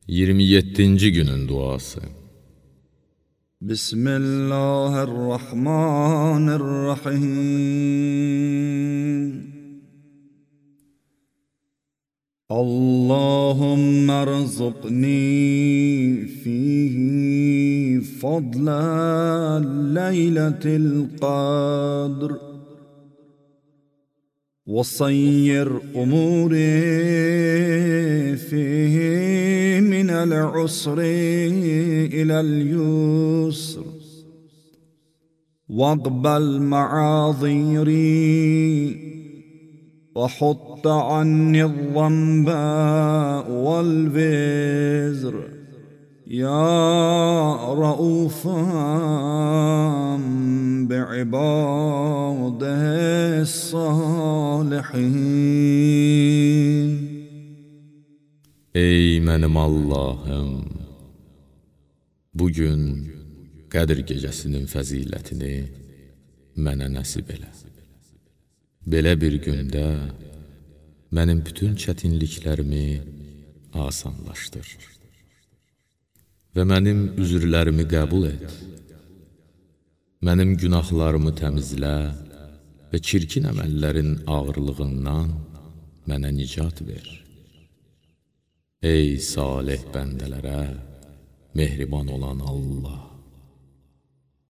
27-ci günün duası. Bismillahirrahmanirrahim. Allahümme rzuqni fihi fadla leyletil qadr. وصير أموري فيه من العسر إلى اليسر واقبل معاذيري وحط عني الذنب والوزر يا رؤوفا بعباده الصالحين. Ey mənim Allahım, bugün Qədr gecəsinin fəzilətini mənə nəsib elə. Belə bir gündə mənim bütün çətinliklərimi asanlaşdır və mənim üzrlərimi qəbul et. Mənim günahlarımı təmizlə və çirkin əməllərin ağırlığından mənə nicat ver. Ey salih bəndələrə mehriban olan Allah!